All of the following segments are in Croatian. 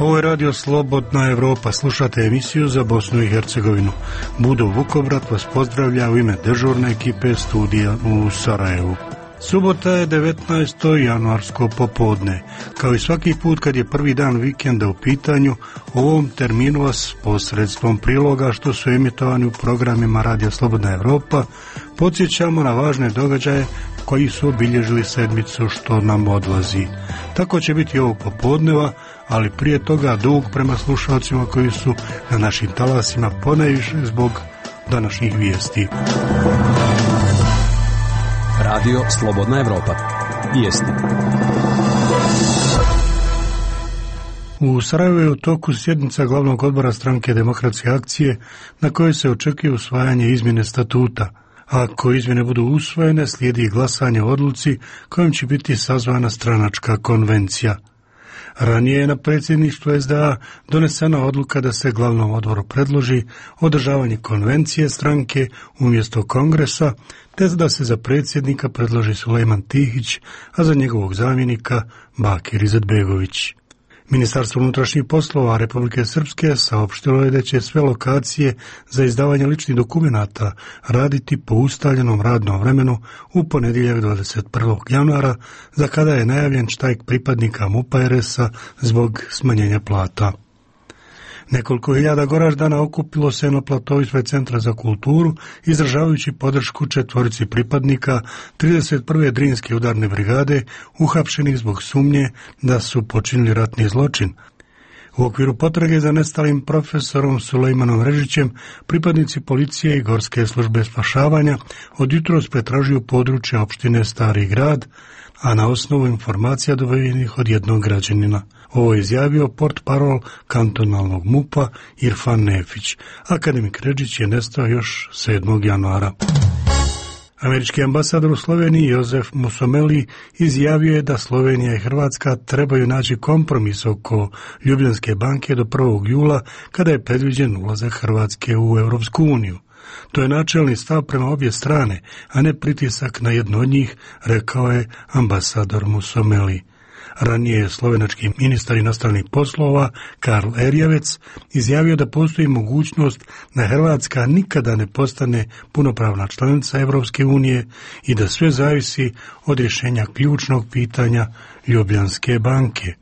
Ovo je Radio Slobodna Evropa, slušate emisiju za Bosnu i Hercegovinu. Budo Vukobrat vas pozdravlja u ime dežurne ekipe studija u Sarajevu. Subota je 19. januarsko popodne. Kao i svaki put kad je prvi dan vikenda u pitanju, u ovom terminu vas posredstvom priloga što su emitovani u programima Radio Slobodna Evropa podsjećamo na važne događaje koji su obilježili sedmicu što nam odlazi. Tako će biti ovog popodneva, ali prije toga dug prema slušalcima koji su na našim talasima ponajviše zbog današnjih vijesti. Radio Slobodna Evropa. Vijesti. U Sarajevu je u toku sjednica glavnog odbora stranke Demokratske akcije na kojoj se očekuje usvajanje izmjene statuta. Ako izmjene budu usvojene, slijedi glasanje o odluci kojom će biti sazvana stranačka konvencija. Ranije je na predsjedništvu SDA donesena odluka da se glavnom odboru predloži održavanje konvencije stranke umjesto kongresa, te da se za predsjednika predloži Sulejman Tihić, a za njegovog zamjenika Bakir Izetbegović. Ministarstvo unutrašnjih poslova Republike Srpske saopštilo je da će sve lokacije za izdavanje ličnih dokumenata raditi po ustaljenom radnom vremenu u ponedjeljak 21. januara, za kada je najavljen štrajk pripadnika MUP-a RS-a zbog smanjenja plata. Nekoliko hiljada Goraždana okupilo se na platovu ispred Centra za kulturu, izražavajući podršku četvorici pripadnika 31. Drinske udarne brigade, uhapšenih zbog sumnje da su počinili ratni zločin. U okviru potrage za nestalim profesorom Sulejmanom Režićem, pripadnici policije i Gorske službe spašavanja od jutros pretražuju područje opštine Stari grad, a na osnovu informacija dobivenih od jednog građanina. Ovo je izjavio portparol kantonalnog MUP-a Irfan Nefić. Akademik Režić je nestao još 7. januara. Američki ambasador u Sloveniji Jozef Musomeli izjavio je da Slovenija i Hrvatska trebaju naći kompromis oko Ljubljanske banke do 1. jula, kada je predviđen ulazak Hrvatske u Europsku uniju. To je načelni stav prema obje strane, a ne pritisak na jednu od njih, rekao je ambasador Musomeli. Ranije je slovenački ministar inostranih poslova Karl Erjavec izjavio da postoji mogućnost da Hrvatska nikada ne postane punopravna članica Europske unije i da sve zavisi od rješenja ključnog pitanja Ljubljanske banke.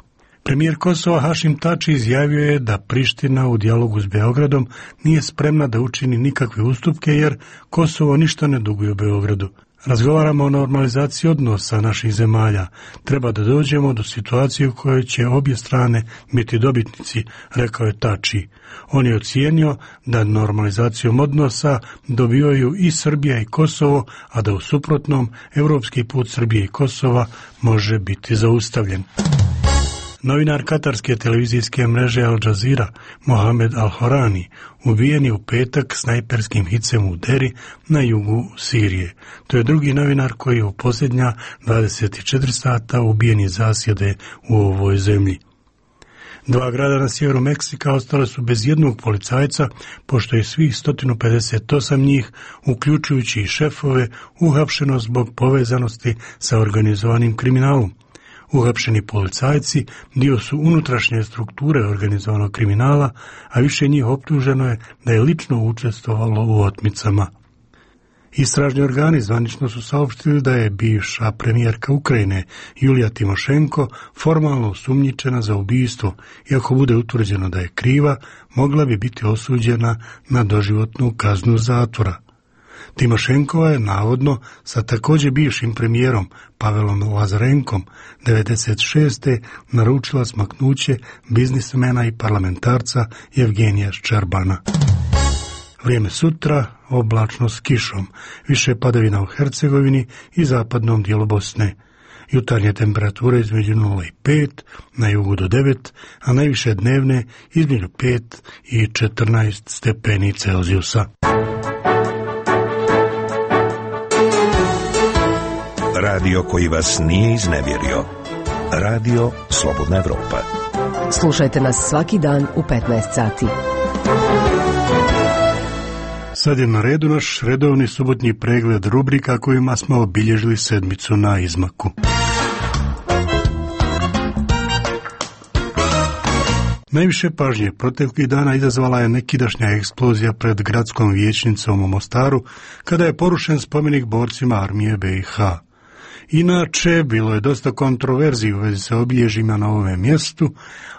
Premijer Kosova Hašim Tači izjavio je da Priština u dijalogu s Beogradom nije spremna da učini nikakve ustupke jer Kosovo ništa ne duguje Beogradu. Razgovaramo o normalizaciji odnosa naših zemalja. Treba da dođemo do situacije u kojoj će obje strane biti dobitnici, rekao je Tači. On je ocijenio da normalizacijom odnosa dobivaju i Srbija i Kosovo, a da u suprotnom europski put Srbije i Kosova može biti zaustavljen. Novinar katarske televizijske mreže Al Jazeera, Mohamed Al-Horani, ubijen je u petak snajperskim hicem u Deri na jugu Sirije. To je drugi novinar koji je u posljednja 24 sata ubijen iz zasjede u ovoj zemlji. 2 grada na sjeveru Meksika ostale su bez jednog policajca, pošto je svih 158 njih, uključujući i šefove, uhapšeno zbog povezanosti sa organizovanim kriminalom. Uhapšeni policajci dio su unutrašnje strukture organizovanog kriminala, a više njih optuženo je da je lično učestvovalo u otmicama. Istražni organi zvanično su saopštili da je bivša premijerka Ukrajine Julija Timošenko formalno osumnjičena za ubijstvo, i ako bude utvrđeno da je kriva, mogla bi biti osuđena na doživotnu kaznu zatvora. Timošenkova je navodno sa također bivšim premijerom Pavelom Lazarenkom 1996. naručila smaknuće biznismena i parlamentarca Evgenija Ščerbana. Vrijeme sutra oblačno s kišom, više padavina u Hercegovini i zapadnom dijelu Bosne. Jutarnje temperature između 0 i 5, na jugu do 9, a najviše dnevne između 5 i 14 stepeni Celzijusa. Radio koji vas nije iznevjerio. Radio Slobodna Evropa. Slušajte nas svaki dan u 15 sati. Sad je na redu naš redovni subotnji pregled rubrika kojima smo obilježili sedmicu na izmaku. Najviše pažnje proteklih dana izazvala je nekidašnja eksplozija pred gradskom vijećnicom u Mostaru, kada je porušen spomenik borcima armije BiH. Inače, bilo je dosta kontroverziji u vezi sa obilježjima na ovom mjestu,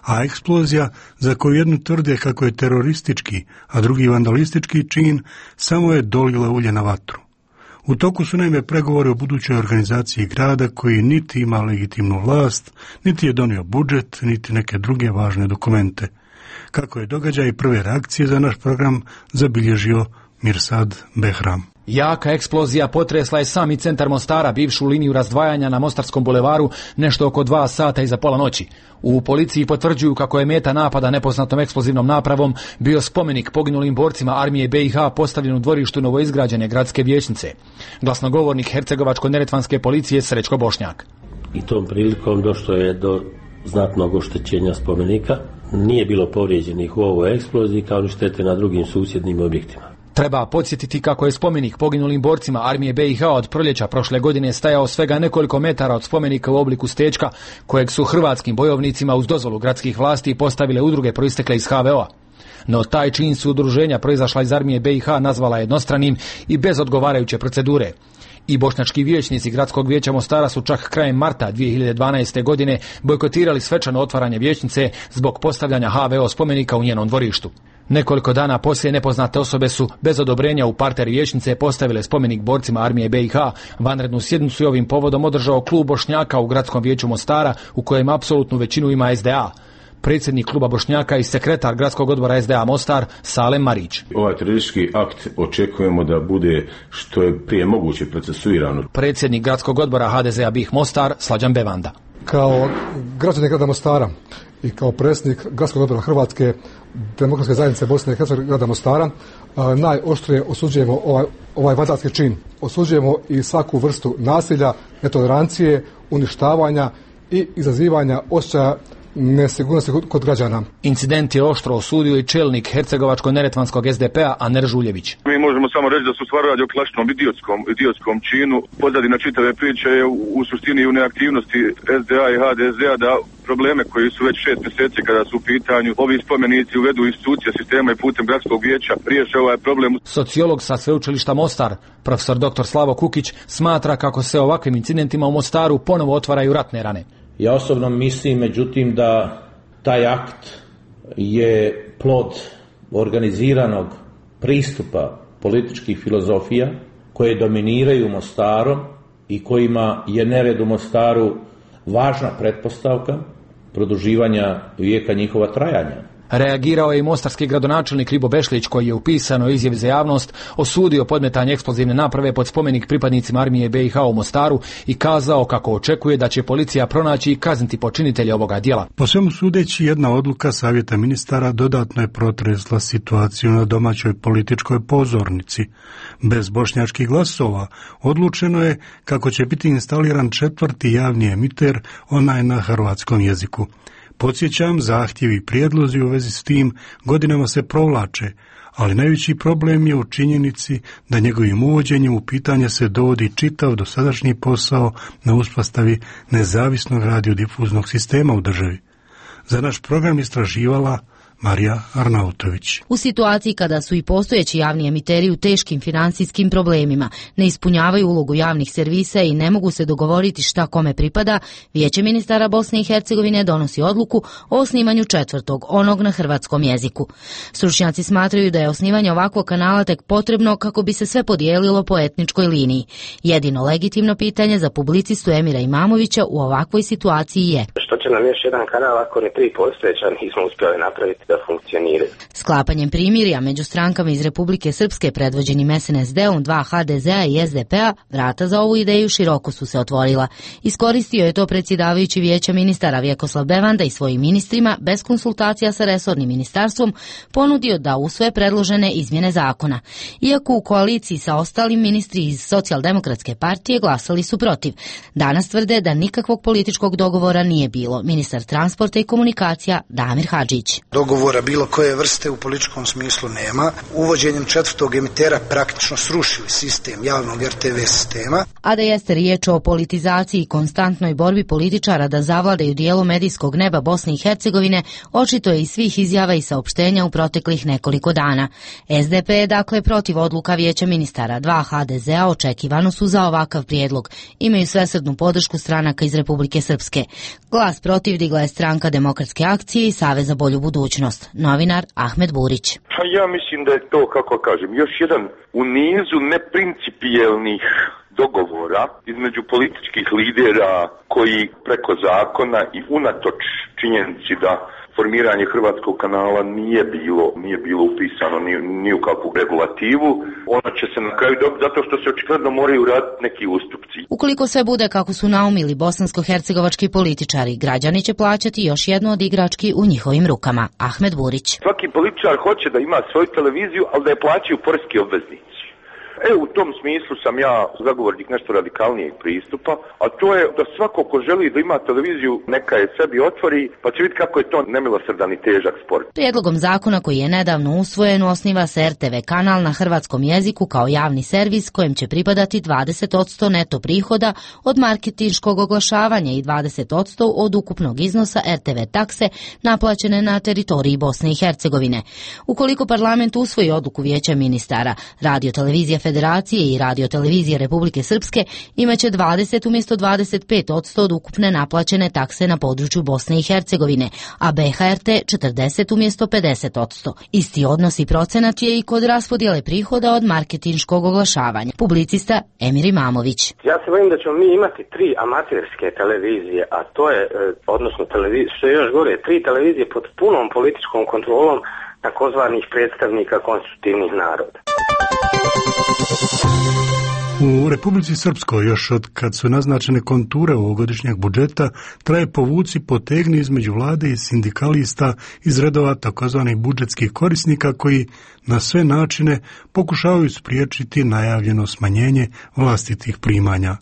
a eksplozija, za koju jednu tvrde kako je teroristički, a drugi vandalistički čin, samo je dolila ulje na vatru. U toku su naime pregovori o budućoj organizaciji grada koji niti ima legitimnu vlast, niti je donio budžet, niti neke druge važne dokumente. Kako je događaj i prve reakcije za naš program zabilježio Mirsad Behram. Jaka eksplozija potresla je sami centar Mostara, bivšu liniju razdvajanja na Mostarskom bulevaru, nešto oko 2 sata iza pola noći. U policiji potvrđuju kako je meta napada nepoznatom eksplozivnom napravom bio spomenik poginulim borcima armije BiH postavljen u dvorištu novoizgrađene gradske vijećnice. Glasnogovornik Hercegovačko-neretvanske policije Srećko Bošnjak. I tom prilikom došlo je do znatnog oštećenja spomenika. Nije bilo povrijeđenih u ovoj eksploziji kao ni štete na drugim susjednim objektima. Treba podsjetiti kako je spomenik poginulim borcima armije BiH od proljeća prošle godine stajao svega nekoliko metara od spomenika u obliku stečka, kojeg su hrvatskim bojovnicima uz dozvolu gradskih vlasti postavile udruge proistekle iz HVO-a. No taj čin su udruženja proizašla iz armije BiH nazvala jednostranim i bez odgovarajuće procedure. I bošnjački vijećnici Gradskog vijeća Mostara su čak krajem marta 2012. godine bojkotirali svečano otvaranje vijećnice zbog postavljanja HVO spomenika u njenom dvorištu. Nekoliko dana poslije nepoznate osobe su bez odobrenja u parter vijećnice postavile spomenik borcima armije BiH. Vanrednu sjednicu je ovim povodom održao klub Bošnjaka u Gradskom vijeću Mostara, u kojem apsolutnu većinu ima SDA. Predsjednik kluba Bošnjaka i sekretar Gradskog odbora SDA Mostar Salem Marić. Ovaj teroristički akt očekujemo da bude što je prije moguće procesuirano. Predsjednik Gradskog odbora HDZ-a BiH Mostar Slađan Bevanda. Kao građanin grada Mostara i kao predsjednik Gradskog odbora Hrvatske demokratske zajednice Bosne i Hercegovine grada Mostara najoštrije osuđujemo ovaj vandalski čin. Osuđujemo i svaku vrstu nasilja, netolerancije, uništavanja i izazivanja osjećaja nesigurnosti kod građana. Incident je oštro osudio i čelnik Hercegovačko-neretvanskog SDP-a Aner Žuljević. Mi možemo samo reći da su stvar radi o klasičnom idiotskom činu. Pozadina čitave priče je u suštini u neaktivnosti SDA i HDZ-a da probleme koji su već 6 mjeseci kada su u pitanju ovi spomenici uvedu institucije sistema i putem gradskog vijeća riješe ovaj problem. Sociolog sa sveučilišta Mostar, profesor dr. Slavo Kukić, smatra kako se ovakvim incidentima u Mostaru ponovo otvaraju ratne rane. Ja osobno mislim, međutim, da taj akt je plod organiziranog pristupa političkih filozofija koje dominiraju Mostarom i kojima je nered u Mostaru važna pretpostavka produživanja vijeka njihova trajanja. Reagirao je i mostarski gradonačelnik Ribo Bešlić, koji je u pisanoj izjavi za javnost osudio podmetanje eksplozivne naprave pod spomenik pripadnicima armije BiH u Mostaru i kazao kako očekuje da će policija pronaći i kazniti počinitelje ovoga djela. Po svemu sudeći, jedna odluka Savjeta ministara dodatno je protresla situaciju na domaćoj političkoj pozornici. Bez bošnjačkih glasova odlučeno je kako će biti instaliran 4. javni emiter, onaj na hrvatskom jeziku. Podsjećam, zahtjevi i prijedlozi u vezi s tim godinama se provlače, ali najveći problem je u činjenici da njegovim uvođenjem u pitanje se dovodi čitav dosadašnji posao na uspostavi nezavisnog radiodifuznog sistema u državi. Za naš program istraživala Marija Arnautović. U situaciji kada su i postojeći javni emiteri u teškim financijskim problemima, ne ispunjavaju ulogu javnih servisa i ne mogu se dogovoriti šta kome pripada, Vijeće ministara Bosne i Hercegovine donosi odluku o osnivanju 4. onog na hrvatskom jeziku. Stručnjaci smatraju da je osnivanje ovakvog kanala tek potrebno kako bi se sve podijelilo po etničkoj liniji. Jedino legitimno pitanje za publicistu Emira Imamovića u ovakvoj situaciji je: što će nam još jedan kanal ako ni 3 postojeća nismo uspjeli napraviti da funkcioniraju? Sklapanjem primirja među strankama iz Republike Srpske predvođenim SNSD-om, 2 HDZ-a i SDP-a, vrata za ovu ideju široko su se otvorila. Iskoristio je to predsjedavajući Vijeća ministara Vjekoslav Bevanda i svojim ministrima, bez konsultacija sa resornim ministarstvom, ponudio da usvoje predložene izmjene zakona. Iako u koaliciji sa ostalim, ministri iz Socijaldemokratske partije glasali su protiv. Danas tvrde da nikakvog političkog dogovora nije bilo. Ministar transporta i komunikacija Damir Hadžić. Dogovor dogovora bilo koje vrste u političkom smislu nema. Uvođenjem 4. emitera praktično srušili sistem javnog RTV sistema. A da jeste riječ o politizaciji i konstantnoj borbi političara da zavladaju dijelu medijskog neba Bosne i Hercegovine, očito je iz svih izjava i saopštenja u proteklih nekoliko dana. SDP je dakle protiv odluka Vijeća ministara. 2 HDZ-a očekivano su za ovakav prijedlog. Imaju svesrdnu podršku stranaka iz Republike Srpske. Glas protiv digla je Stranka demokratske akcije i Savez za bolju budućnost. Novinar Ahmed Burić. Ja mislim da je to, kako kažem, još jedan u nizu neprincipijelnih dogovora između političkih lidera koji preko zakona i unatoč činjenici da formiranje hrvatskog kanala nije bilo upisano ni u kakvu regulativu, ona će se na kraju dobiti zato što se očigledno moraju raditi neki ustupci. Ukoliko sve bude kako su naumili bosansko-hercegovački političari, građani će plaćati još jednu od igrački u njihovim rukama. Ahmed Burić. Svaki političar hoće da ima svoju televiziju, ali da je plaćaju poreski obveznici. U tom smislu sam ja zagovornik nešto radikalnijeg pristupa, a to je da svako ko želi da ima televiziju neka je sebi otvori, pa će vidjeti kako je to nemilosrdan i težak sport. Prijedlogom zakona koji je nedavno usvojen osniva se RTV kanal na hrvatskom jeziku kao javni servis kojem će pripadati 20% neto prihoda od marketinškog oglašavanja i 20% od ukupnog iznosa RTV takse naplaćene na teritoriji Bosne i Hercegovine. Ukoliko parlament usvoji odluku Vijeća ministara, Radio-televizija Federacije i Radio-televizije Republike Srpske imaće 20 umjesto 25% od ukupne naplaćene takse na području Bosne i Hercegovine, a BHRT 40 umjesto 50%. Isti odnos i procenat je i kod raspodjele prihoda od marketinškog oglašavanja. Publicista Emir Imamović. Ja se bojim da ćemo mi imati 3 amaterske televizije, a to je, odnosno što je još gore, 3 televizije pod punom političkom kontrolom takozvanih predstavnika konstitutivnih naroda. U Republici Srpskoj još od kad su naznačene konture ovogodišnjeg budžeta traje povuci potegni između vlade i sindikalista iz redova takozvanih budžetskih korisnika koji na sve načine pokušavaju spriječiti najavljeno smanjenje vlastitih primanja.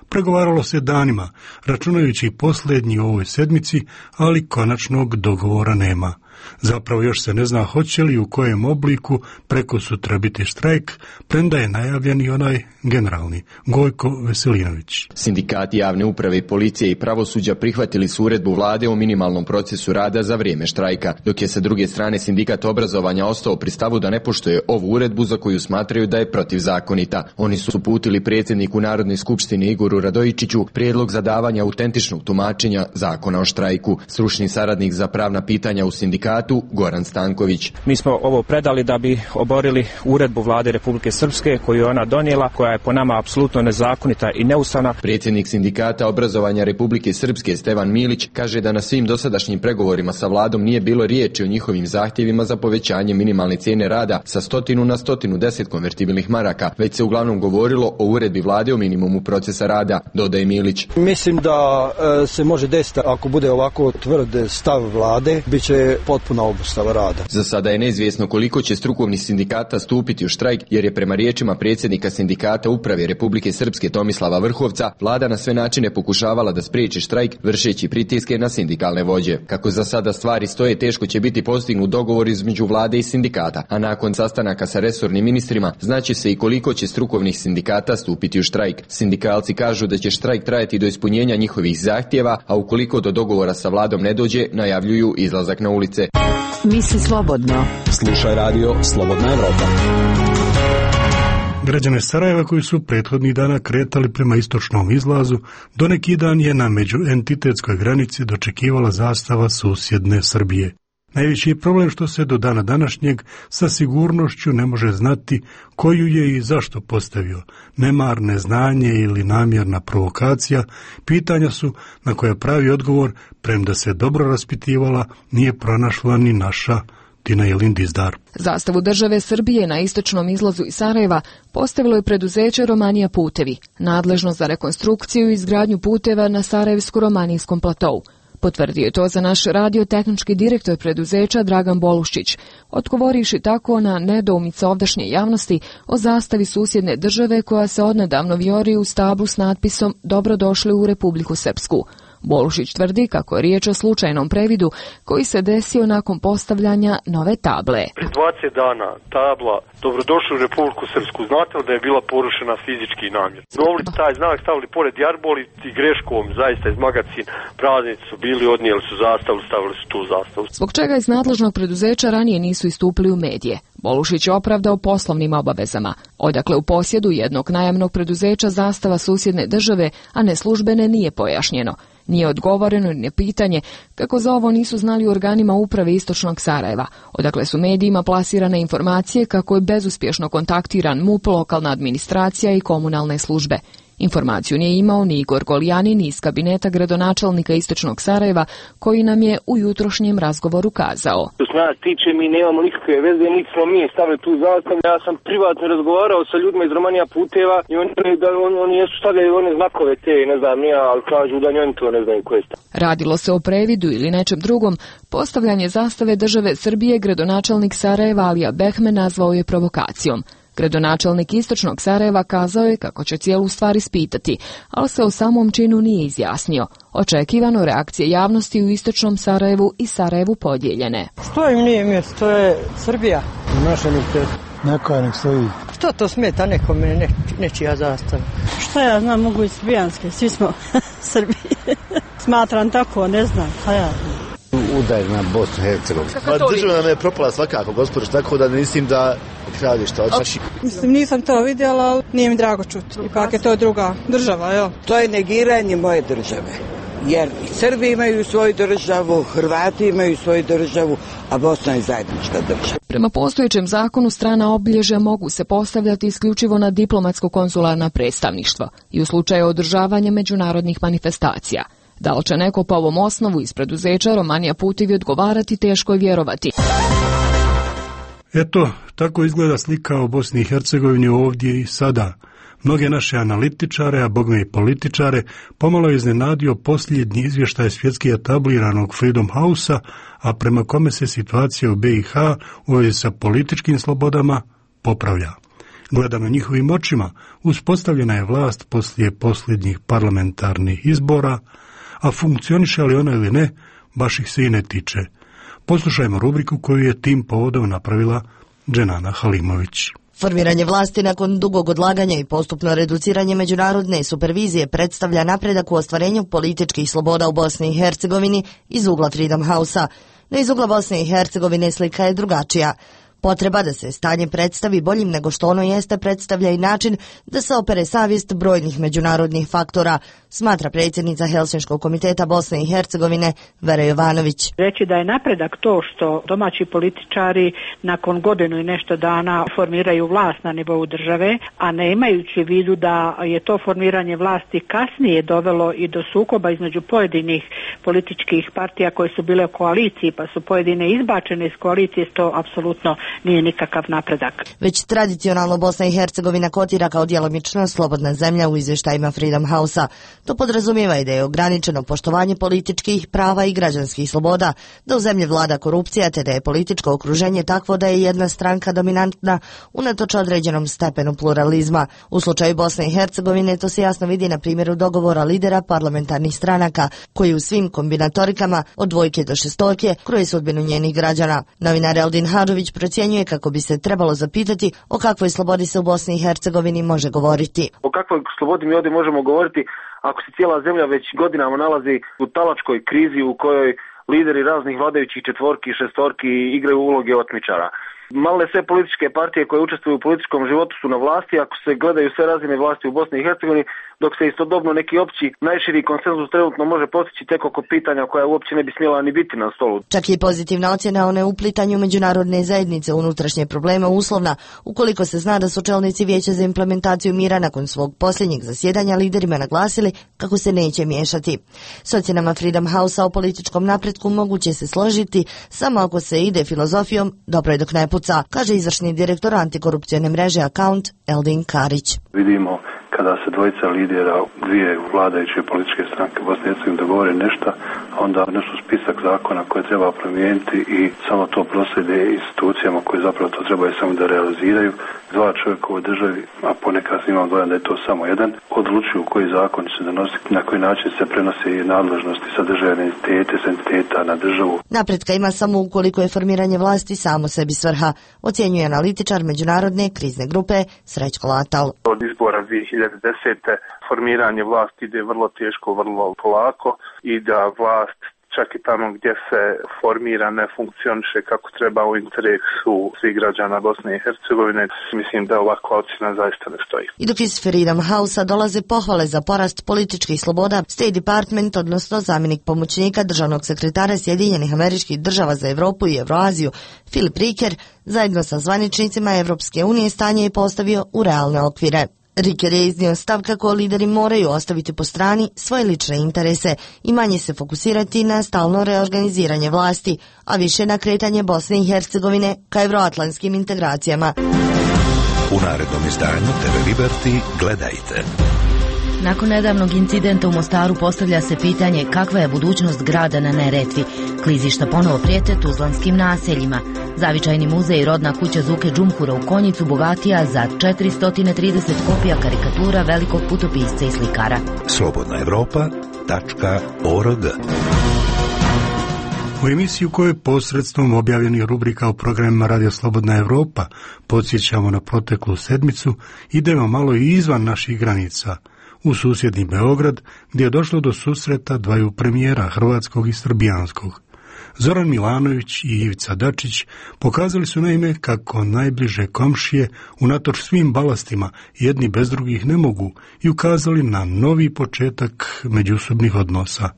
Pregovaralo se danima, računajući posljednji u ovoj sedmici, ali konačnog dogovora nema. Zapravo još se ne zna hoće li u kojem obliku preko sutra biti štrajk, premda je najavljen i onaj generalni, Gojko Veselinović. Sindikati javne uprave, policije i pravosuđa prihvatili su uredbu vlade o minimalnom procesu rada za vrijeme štrajka, dok je sa druge strane sindikat obrazovanja ostao pri stavu da ne poštuje ovu uredbu za koju smatraju da je protivzakonita. Oni su uputili predsjedniku Narodne skupštine Igoru Radojičiću prijedlog za davanje autentičnog tumačenja zakona o štrajku. Stručni saradnik za pravna pitanja u sindikatu Goran Stanković. Mi smo ovo predali da bi oborili uredbu vlade Republike Srpske koju je ona donijela, koja je po nama apsolutno nezakonita i neustavna. Predsjednik sindikata obrazovanja Republike Srpske Stevan Milić kaže da na svim dosadašnjim pregovorima sa vladom nije bilo riječi o njihovim zahtjevima za povećanje minimalne cijene rada sa 100 na 110 konvertibilnih maraka, već se uglavnom govorilo o uredbi vlade o minimumu procesa rada, dodaje Milić. Mislim da se može desiti ako bude ovako tvrd stav vlade, bit će potpuna obustava rada. Za sada je neizvjesno koliko će strukovnih sindikata stupiti u štrajk, jer je prema riječima predsjednika sindikata uprave Republike Srpske Tomislava Vrhovca vlada na sve načine pokušavala da spriječi štrajk vršeći pritiske na sindikalne vođe. Kako za sada stvari stoje, teško će biti postignut dogovor između vlade i sindikata, a nakon sastanaka sa resornim ministrima znaće se i koliko će strukovnih sindikata stupiti u štrajk. Sindikalci kažu da će štrajk trajati do ispunjenja njihovih zahtjeva, a ukoliko do dogovora sa vladom ne dođe, najavljuju izlazak na ulice. Misli slobodno. Slušaj radio Slobodna Evropa. Građane Sarajeva koji su prethodnih dana kretali prema istočnom izlazu, do neki dan je na međuentitetskoj granici dočekivala zastava susjedne Srbije. Najveći je problem što se do dana današnjeg sa sigurnošću ne može znati koju je i zašto postavio. Nemar, neznanje ili namjerna provokacija, pitanja su na koje pravi odgovor, premda se dobro raspitivala, nije pronašla ni naša Tina Jelin Dizdar. Zastavu države Srbije na istočnom izlazu iz Sarajeva postavilo je preduzeće Romanija Putevi, nadležno za rekonstrukciju i izgradnju puteva na Sarajevsko-romanijskom platou. Potvrdio je to za naš radio-tehnički direktor preduzeća Dragan Boluščić, odgovorivši tako na nedoumice ovdašnje javnosti o zastavi susjedne države koja se odnedavno vijori u stablu s natpisom Dobrodošli u Republiku Srpsku. Bolušić tvrdi kako je riječ o slučajnom previdu koji se desio nakon postavljanja nove table. Pri 20 dana tabla dobrodošli u Republiku Srpsku, znate li da je bila porušena fizički namjer? Novli taj znak stavili pored jarboli i greškom, zaista iz magacin praznici su bili, odnijeli su zastavu, stavili su tu zastavu. Zbog čega iz nadležnog preduzeća ranije nisu istupili u medije? Bolušić je opravdao poslovnim obavezama. Odakle u posjedu jednog najamnog preduzeća zastava susjedne države, a ne službene, nije pojašnjeno. Nije odgovoreno ni na pitanje kako za ovo nisu znali u organima uprave Istočnog Sarajeva, odakle su medijima plasirane informacije kako je bezuspješno kontaktiran MUP, lokalna administracija i komunalne službe. Informaciju nije imao ni Igor Goljanin iz kabineta gradonačelnika Istočnog Sarajeva, koji nam je u jutrošnjem razgovoru kazao. Što se nas tiče, mi nemamo nikakve veze, niti smo mi stavili tu zastavu. Ja sam privatno razgovarao sa ljudima iz Romanija Puteva i oni jesu stavljali one znakove te, ne znam ja, ali kažu da oni to ne znaju koje sta. Radilo se o previdu ili nečem drugom, postavljanje zastave države Srbije gradonačelnik Sarajeva Alija Behmen nazvao je provokacijom. Gradonačelnik Istočnog Sarajeva kazao je kako će cijelu stvar ispitati, ali se o samom činu nije izjasnio. Očekivano reakcije javnosti u Istočnom Sarajevu i Sarajevu podijeljene. Što im nije mjesto, to je Srbija. Naša mjesto, neka nek stoji. Što to smeta nekome, nečija zastava? Šta ja znam, mogu i srbijanske, svi smo Srbi. Smatram tako, ne znam, a ja znam. Udaj na Bosnu i Hercegovinu. Država nam je propala svakako, gospođo, tako da mislim da kradi šta hoće. Mislim, nisam to vidjela, ali nije mi drago čuti. Ipak je to druga država, jel? To je negiranje moje države. Jer Srbi imaju svoju državu, Hrvati imaju svoju državu, a Bosna je zajednička država. Prema postojećem zakonu strana obilježja mogu se postavljati isključivo na diplomatsko-konzularna predstavništva i u slučaju održavanja međunarodnih manifestacija. Da li će neko po ovom osnovu iz preduzeća Romanija Putevi odgovarati, teško je vjerovati. Eto, tako izgleda slika o Bosni i Hercegovini ovdje i sada. Mnoge naše analitičare, a bogme i političare, pomalo je iznenadio posljednji izvještaj svjetski etabliranog Freedom House-a, a prema kome se situacija u BiH u vezi sa političkim slobodama popravlja. Gledano njihovim očima, uspostavljena je vlast poslije posljednjih parlamentarnih izbora, a funkcioniše li ona ili ne, baš ih se i ne tiče. Poslušajmo rubriku koju je tim povodom napravila Dženana Halimović. Formiranje vlasti nakon dugog odlaganja i postupno reduciranje međunarodne supervizije predstavlja napredak u ostvarenju političkih sloboda u Bosni i Hercegovini iz ugla Freedom House-a. No iz ugla Bosne i Hercegovine slika je drugačija. Potreba da se stanje predstavi boljim nego što ono jeste predstavlja i način da se opere savjest brojnih međunarodnih faktora, smatra predsjednica Helsinškog komiteta Bosne i Hercegovine Vera Jovanović. Reći da je napredak to što domaći političari nakon godinu i nešto dana formiraju vlast na nivou države, a ne imajući u vidu da je to formiranje vlasti kasnije dovelo i do sukoba između pojedinih političkih partija koje su bile u koaliciji, pa su pojedine izbačene iz koalicije, to apsolutno nije nikakav napredak. Već tradicionalno Bosna i Hercegovina kotira kao djelomično slobodna zemlja u izvještajima Freedom House-a. To podrazumijeva i da je ograničeno poštovanje političkih prava i građanskih sloboda, da u zemlji vlada korupcija, te da je političko okruženje takvo da je jedna stranka dominantna unatoč određenom stepenu pluralizma. U slučaju Bosne i Hercegovine to se jasno vidi na primjeru dogovora lidera parlamentarnih stranaka, koji u svim kombinatorikama od 2 do 6 kroje sudbinu njenih građana. Novinar Eldin Hadžović procjenjuje kako bi se trebalo zapitati o kakvoj slobodi se u Bosni i Hercegovini može govoriti. O kakvoj slobodi mi ovdje možemo govoriti ako se cijela zemlja već godinama nalazi u talačkoj krizi u kojoj lideri raznih vladajućih četvorki i šestorki igraju uloge otmičara. Malne sve političke partije koje učestvuju u političkom životu su na vlasti, ako se gledaju sve razine vlasti u Bosni i Hercegovini, dok se istodobno neki opći najširi konsenzus trenutno može postići tek oko pitanja koja uopće ne bi smjela ni biti na stolu. Čak i pozitivna ocjena o neuplitanju međunarodne zajednice u unutrašnje probleme uslovna, ukoliko se zna da su čelnici Vijeća za implementaciju mira nakon svog posljednjeg zasjedanja liderima naglasili kako se neće miješati. S ocjenama Freedom House-a o političkom napretku moguće se složiti samo ako se ide filozofijom dobro je dok ne puca, kaže izvršni direktor antikorupcijne mreže Account Eldin Karić. Vidimo kada se dvojica lidera dvije vladajuće političke stranke Bosne i Hercegovine dogovore nešto, a onda nešto spisak zakona koje treba promijeniti i samo to proslijede institucijama koje zapravo to trebaju samo da realiziraju. dva čovjeka u ovoj državi, a ponekad imam dojam da je to samo jedan, odlučuju koji zakon će se donositi, na koji način se prenose nadležnosti sa državne entitete, s entiteta na državu. Napretka ima samo ukoliko je formiranje vlasti samo sebi svrha, ocjenjuje analitičar međunarodne krizne grupe Srećko Latal. Od izbora 2010. formiranje vlasti ide vrlo teško, vrlo polako i da vlast čak i tamo gdje se formira ne funkcioniše kako treba u interesu svih građana Bosne i Hercegovine. Mislim da ovakva ocjena zaista ne stoji. I dok iz Freedom House-a dolaze pohvale za porast političkih sloboda, State Department, odnosno zamjenik pomoćnika državnog sekretara Sjedinjenih Američkih Država za Europu i Euroaziju, Philip Riker, zajedno sa zvaničnicima Evropske unije stanje je postavio u realne okvire. Riker je iznio stav kako lideri moraju ostaviti po strani svoje lične interese i manje se fokusirati na stalno reorganiziranje vlasti, a više na kretanje Bosne i Hercegovine ka evroatlantskim integracijama. U narednom izdanju TV Liberty gledajte. Nakon nedavnog incidenta u Mostaru postavlja se pitanje kakva je budućnost grada na Neretvi. Klizišta ponovo prijete tuzlanskim naseljima. Zavičajni muzej i rodna kuća Zuke Džumhura u Konjicu bogatija za 430 kopija karikatura velikog putopisca i slikara. slobodnaevropa.org. U emisiju kojoj posredstvom objavljenih rubrika u programima Radio Slobodna Evropa podsjećamo na proteklu sedmicu, idemo malo i izvan naših granica, u susjedni Beograd, gdje je došlo do susreta dvaju premijera, hrvatskog i srbijanskog. Zoran Milanović i Ivica Dačić pokazali su naime kako najbliže komšije unatoč svim balastima jedni bez drugih ne mogu i ukazali na novi početak međusobnih odnosa.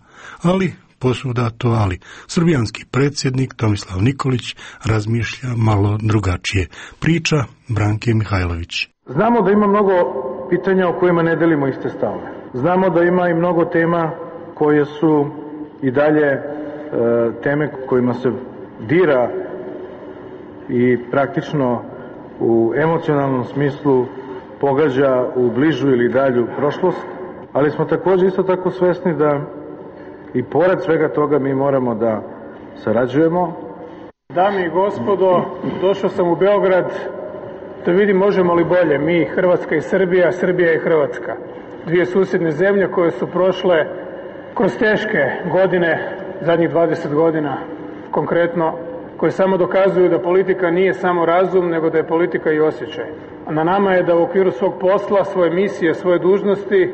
Ali, posvuda to ali, srbijanski predsjednik Tomislav Nikolić razmišlja malo drugačije. Priča Branke Mihajlović. Znamo da ima mnogo pitanja o kojima ne delimo iste stavove. Znamo da ima i mnogo tema koje su i dalje teme kojima se dira i praktično u emocionalnom smislu pogađa u bližu ili dalju prošlost, ali smo također isto tako svesni da i pored svega toga mi moramo da sarađujemo. Dame i gospodo, došao sam u Beograd da vidim možemo li bolje mi, Hrvatska i Srbija, Srbija i Hrvatska. Dvije susjedne zemlje koje su prošle kroz teške godine, zadnjih 20 godina konkretno, koje samo dokazuju da politika nije samo razum, nego da je politika i osjećaj. A na nama je da u okviru svog posla, svoje misije, svoje dužnosti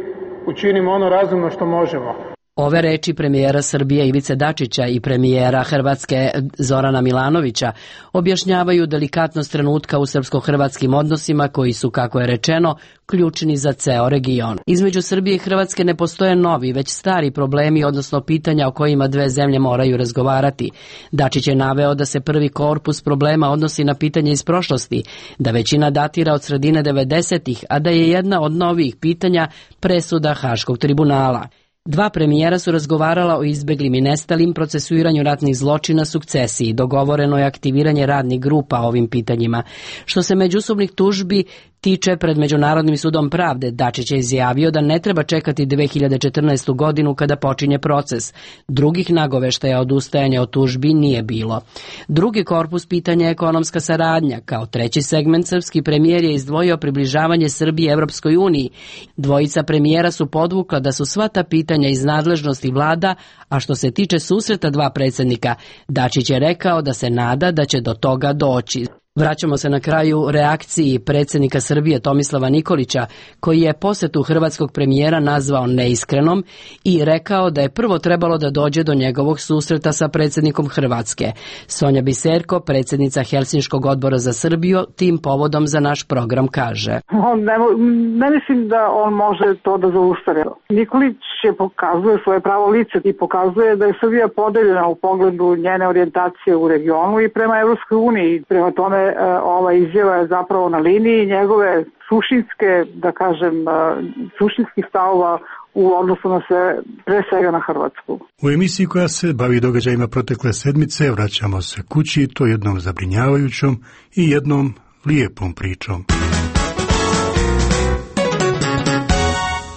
učinimo ono razumno što možemo. Ove reči premijera Srbije Ivice Dačića i premijera Hrvatske Zorana Milanovića objašnjavaju delikatnost trenutka u srpsko-hrvatskim odnosima koji su, kako je rečeno, ključni za ceo region. Između Srbije i Hrvatske ne postoje novi, već stari problemi, odnosno pitanja o kojima dve zemlje moraju razgovarati. Dačić je naveo da se prvi korpus problema odnosi na pitanje iz prošlosti, da većina datira od sredine 90-ih, a da je jedna od novih pitanja presuda Haškog tribunala. Dva premijera su razgovarala o izbeglim i nestalim, procesuiranju ratnih zločina, sukcesiji. Dogovoreno je aktiviranje radnih grupa o ovim pitanjima. Što se međusobnih tužbi tiče pred Međunarodnim sudom pravde, Dačić je izjavio da ne treba čekati 2014. godinu kada počinje proces. Drugih nagoveštaja odustajanja od tužbi nije bilo. Drugi korpus pitanja je ekonomska saradnja. Kao treći segment, srpski premijer je izdvojio približavanje Srbije Evropskoj uniji. Dvojica premijera su podvukla da su sva ta pitanja iz nadležnosti vlada, a što se tiče susreta dva predsjednika, Dačić je rekao da se nada da će do toga doći. Vraćamo se na kraju reakciji predsjednika Srbije Tomislava Nikolića, koji je posjetu hrvatskog premijera nazvao neiskrenom i rekao da je prvo trebalo da dođe do njegovog susreta sa predsjednikom Hrvatske. Sonja Biserko, predsjednica Helsinškog odbora za Srbiju, tim povodom za naš program kaže. Ne mislim da on može to da zaustavi. Nikolić je pokazuje svoje pravo lice i pokazuje da je Srbija podeljena u pogledu njene orijentacije u regionu i prema Evropskoj uniji. Prema tome ova izjava je zapravo na liniji njegove suštinske, da kažem, suštinskih stavova u odnosu na sve, pre svega na Hrvatsku. U emisiji koja se bavi događajima protekle sedmice vraćamo se kući, to jednom zabrinjavajućom i jednom lijepom pričom.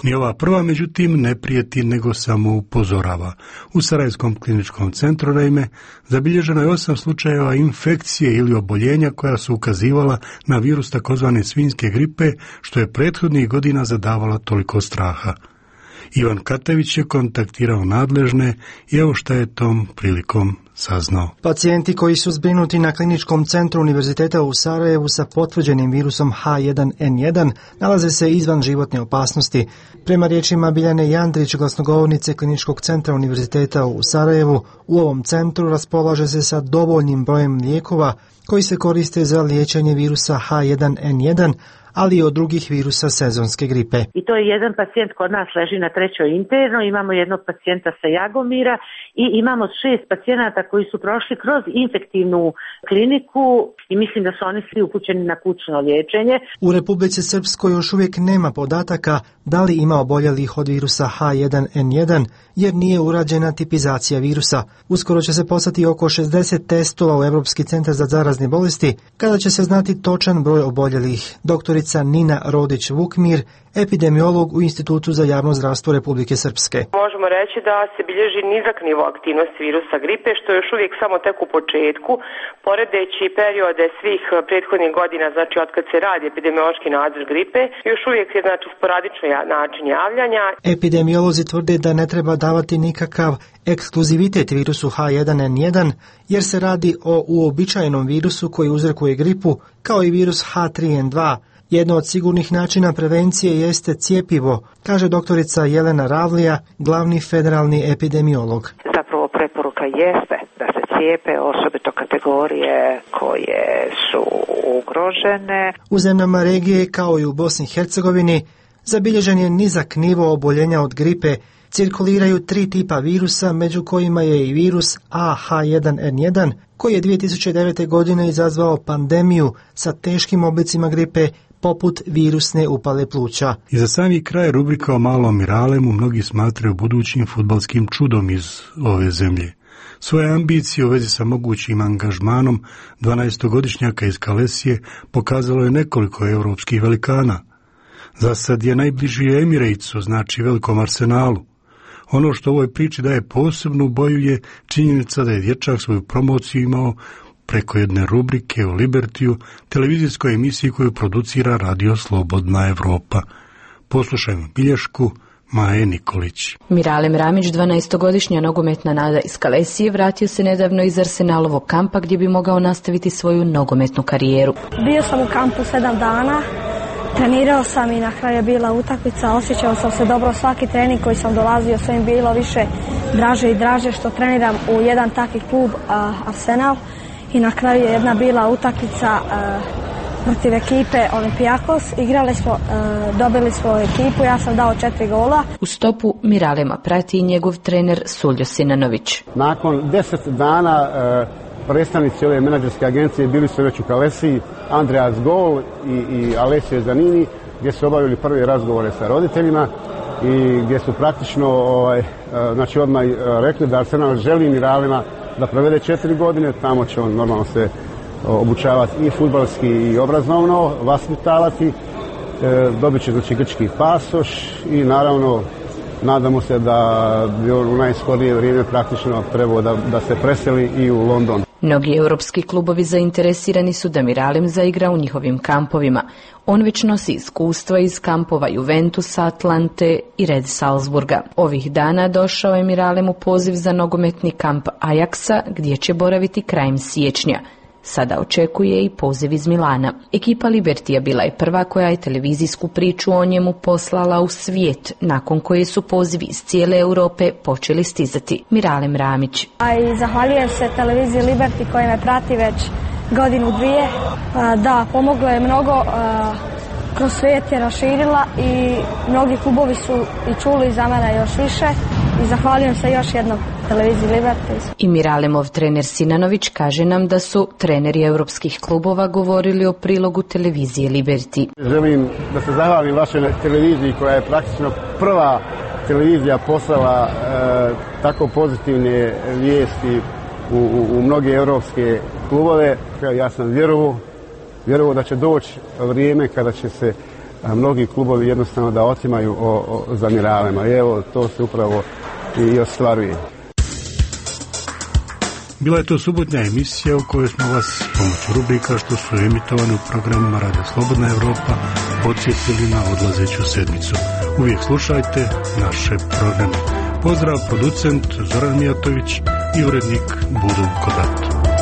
Ni ova prva, međutim, ne prijeti nego samo upozorava. U Sarajevskom kliničkom centru, naime, zabilježeno je 8 slučajeva infekcije ili oboljenja koja su ukazivala na virus takozvane svinjske gripe, što je prethodnih godina zadavala toliko straha. Ivan Katević je kontaktirao nadležne i evo šta je tom prilikom saznao. Pacijenti koji su zbrinuti na kliničkom centru Univerziteta u Sarajevu sa potvrđenim virusom H1N1 nalaze se izvan životne opasnosti. Prema riječima Biljane Jandrić, glasnogovornice kliničkog centra Univerziteta u Sarajevu, u ovom centru raspolaže se sa dovoljnim brojem lijekova koji se koriste za liječenje virusa H1N1, ali i od drugih virusa sezonske gripe. I to je jedan pacijent kod nas leži na 3. interno, imamo jednog pacijenta sa Jagomira i imamo 6 pacijenata koji su prošli kroz infektivnu kliniku i mislim da su oni svi upućeni na kućno liječenje. U Republici Srpskoj još uvijek nema podataka da li ima oboljelih od virusa H1N1, jer nije urađena tipizacija virusa. Uskoro će se poslati oko 60 testova u Europski centar za zarazne bolesti, kada će se znati točan broj oboljelih. Doktorica Nina Rodić-Vukmir, epidemiolog u Institutu za javno zdravstvo Republike Srpske. Možemo reći da se bilježi nizak nivo aktivnosti virusa gripe, što je još uvijek samo tek u početku, poredeći periode svih prethodnih godina, znači od kad se radi epidemiološki nadzor gripe, još uvijek je znači sporadično način javljanja. Epidemiolozi tvrde da ne treba davati nikakav ekskluzivitet virusu H1N1, jer se radi o uobičajenom virusu koji uzrokuje gripu, kao i virus H3N2. Jedno od sigurnih načina prevencije jeste cjepivo, kaže doktorica Jelena Ravlija, glavni federalni epidemiolog. Zapravo preporuka jeste da se cijepe osobito kategorije koje su ugrožene. U zemljama regije, kao i u Bosni i Hercegovini, zabilježen je nizak nivo oboljenja od gripe. Cirkuliraju 3 tipa virusa, među kojima je i virus AH1N1, koji je 2009. godine izazvao pandemiju sa teškim oblicima gripe, poput virusne upale pluća. I za sami kraj rubrika o malom Miralemu mnogi smatraju budućim fudbalskim čudom iz ove zemlje. Svoje ambicije u vezi sa mogućim angažmanom 12-godišnjaka iz Kalesije pokazalo je nekoliko europskih velikana. Za sad je najbliži Emiratsu, znači velikom Arsenalu. Ono što u ovoj priči daje posebnu boju je činjenica da je dječak svoju promociju imao preko jedne rubrike u Libertiju, televizijskoj emisiji koju producira Radio Slobodna Evropa. Poslušajmo bilješku Maje Nikolić. Miralem Ramić, 12-godišnja nogometna nada iz Kalesije, vratio se nedavno iz Arsenalovog kampa gdje bi mogao nastaviti svoju nogometnu karijeru. Bio sam u kampu 7 dana. Trenirao sam i na kraju je bila utakmica, osjećao sam se dobro, svaki trening koji sam dolazio, sve mi bilo više draže i draže što treniram u jedan takvi klub Arsenal i na kraju je jedna bila utakmica protiv ekipe Olimpijakos, igrali smo, dobili smo ekipu, ja sam dao 4 gola. U stopu Miralema prati i njegov trener Suljo Sinanović. Nakon 10 dana predstavnici ove menadžerske agencije bili su već u Kalesiji, Andreas Gol i Alessio Zanini, gdje su obavili prve razgovore sa roditeljima i gdje su praktično znači odmah rekli da Arsenal želi Miralema da provede 4 godine, tamo će on normalno se obučavati i fudbalski i obrazovno, vaspitavati, dobit će znači grčki pasoš i naravno nadamo se da bi on u najskorije vrijeme praktično trebao da se preseli i u London. Mnogi europski klubovi zainteresirani su da Miralem zaigra u njihovim kampovima. On već nosi iskustva iz kampova Juventusa, Atlante i Red Salzburga. Ovih dana došao je Miralem u poziv za nogometni kamp Ajaxa, gdje će boraviti krajem siječnja. Sada očekuje i poziv iz Milana. Ekipa Libertija bila je prva koja je televizijsku priču o njemu poslala u svijet, nakon koje su pozivi iz cijele Europe počeli stizati. Miralem Ramić. A i zahvaljujem se televiziji Liberty koja me prati već godinu, dvije. Da, pomoglo je mnogo, kroz svijet je raširila i mnogi klubovi su i čuli za mene još više i zahvaljujem se još jednom televiziji Liberty. I Miralemov trener Sinanović kaže nam da su treneri europskih klubova govorili o prilogu televizije Liberty. Želim da se zahvalim vašoj televiziji koja je praktično prva televizija poslala tako pozitivne vijesti u mnoge europske klubove. Ja sam vjerovao da će doći vrijeme kada će se mnogi klubovi jednostavno da otimaju za mineralima. I evo, to se upravo i ostvaruje. Bila je to subotnja emisija u kojoj smo vas pomoću rubrika što su emitovane u programima Radio Slobodna Evropa podsjetili na odlazeću sedmicu. Uvijek slušajte naše programe. Pozdrav, producent Zoran Mijatović i urednik Budul Kodat.